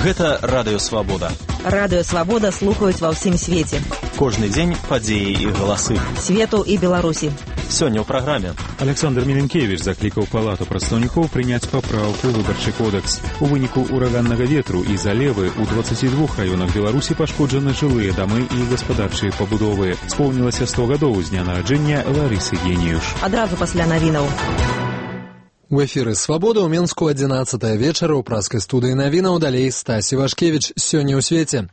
Гэта Радыё Свабода. Радыё Свабода слухаюць ва ўсім свеце. Кожны дзень падзеі і галасы Свету і Беларусі. Сёння ў праграме. Александр Міленкевіч заклікаў Палату прадстаўнікоў прыняць папраўку ў выбарчы кодекс. У выніку ураганнага ветру і залевы ў 22 раёнах Беларусі пашкоджаны жылыя дамы і гаспадарчыя пабудовы. Споўнілася 100 гадоў з дня нараджэння Ларысы Геніюш. Адразу пасля навінаў. У эфіры «Свабода» ў Менску 11 вечара ў праскай студыі навінаў, далей Стасі Вашкевіч. Сёння ў свеце.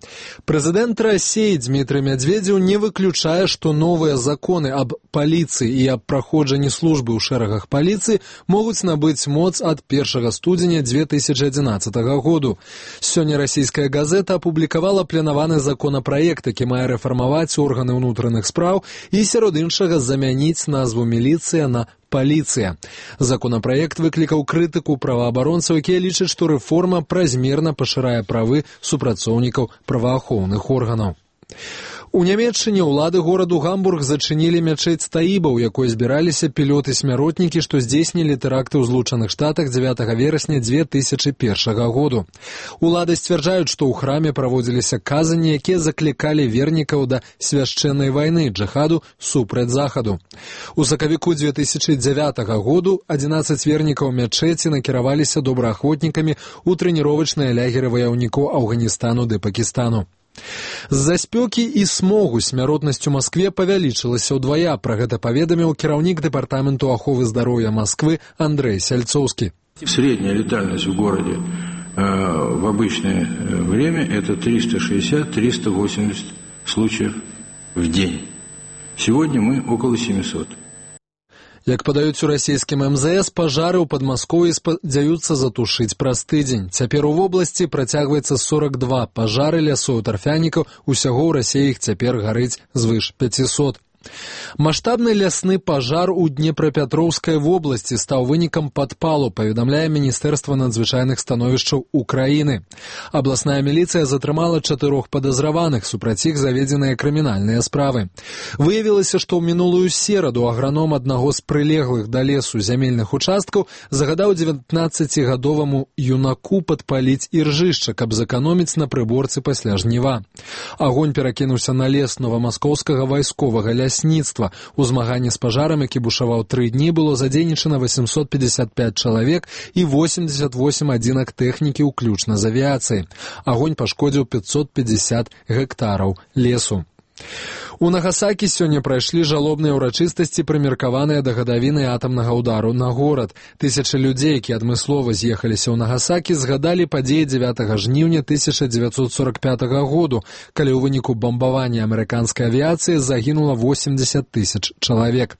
Прэзідэнт Расіі Дмітрый Мядзведзеў не выключае, што новыя законы аб паліцыі і аб праходжанні службы ў шэрагах паліцыі могуць набыць моц ад 1 студзеня 2011 году. Сёння расійская газета апублікавала планаваны законапраект, які мае рэфармаваць органы ўнутраных спраў і сярод іншага замяніць назву міліцыя на паліцыя. Законапраект выклікаў крытыку праваабаронцаў, якія лічаць, што рэформа празмерна пашырае правы супрацоўнікаў праваахоўных органаў. У Нямецчыне ўлады гораду Гамбург зачынілі мячэць Таіба, у якой збіраліся пілоты-смяротнікі, што здзейснілі тэракты ў Злучаных Штатах 9 верасня 2001 году. Улады сцвярджаюць, што ў храме праводзіліся казанні, якія заклікалі вернікаў да свяшчэннай вайны джихаду супраць захаду. У сакавіку 2009 году 11 вернікаў мячэці накіраваліся добраахвотнікамі ў трэніровачныя лягеры ваяўнікоў Афганістану ды Пакістану. З-за спёкі і смогу смяротнасць у Маскве павялічылася ўдвая. Пра гэта паведаміў кіраўнік дэпартаменту аховы здароўя Москвы Андрей Сяльцоўскі. Средняя летальность в городе в обычное время это 360-380 случаев в день. Сегодня мы около 700. Як падаюць у расійскім МЗС, пажары ў Падмасков'і спадзяюцца затушыць праз тыдзень. Цяпер у вобласці працягваецца 42 пажары лясоў тарфянікаў, усяго ў Расіі іх цяпер гарыць звыш 500. Маштабны лясны пажар у Днепрапетроўскай вобласці стаў вынікам падпалу, паведамляе Міністэрства надзвычайных становішчаў Украіны. Абласная міліцыя затрымала 4 падазраваных, супраць іх заведзеныя крымінальныя справы. Выявілася, што ў мінулую сераду аграном аднаго з прылеглых да лесу зямельных участкаў загадаў 19-гадоваму юнаку падпаліць іржышча, каб зэканоміць на прыборцы пасля жніва. Агонь перакінуўся на лес новамаскоўскага вайсковага лясніцтва. У змаганні з пажарам, які бушаваў 3 дні, было задзейнічана 855 чалавек і 88 адзінак тэхнікі, уключна з авіяцыяй. Агонь пашкодзіў 550 гектараў лесу. У Нагасакі сёння прайшлі жалобныя ўрачыстасці, прымеркаваныя да гадавіны атамнага ўдару на горад. Тысячы людзей, якія адмыслова з'ехаліся ў Нагасакі, згадалі падзеі 9 жніўня 1945 году, калі ў выніку бамбавання амерыканскай авіяцыі загінула 80 000 чалавек.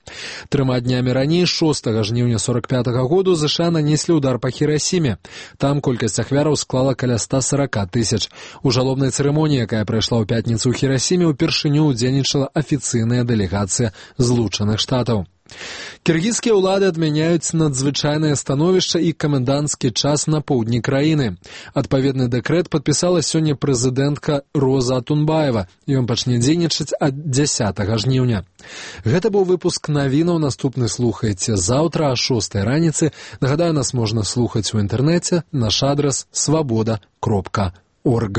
3 днямі раней, 6 жніўня 1945 году, ЗША нанеслі ўдар па Хірасіме. Там колькасць ахвяраў склала каля 140 000. У жалобнай цырымоніі, якая прайшла ў пятніцу ў Хірасіме, упершыню ўдзельнічала афіцыйная дэлегацыя Злучаных Штатаў. Кіргізскія ўлады адмяняюць надзвычайнае становішча і каменданцкі час на поўдні краіны. Адпаведны дэкрэт падпісала сёння прэзідэнтка Роза Атунбаева. Ён пачне дзейнічаць ад 10 жніўня. Гэта быў выпуск навінаў, наступны слухайце заўтра а 6 раніцы. Нагадаю, нас можна слухаць у інтэрнэце, наш адрас свабода.орг.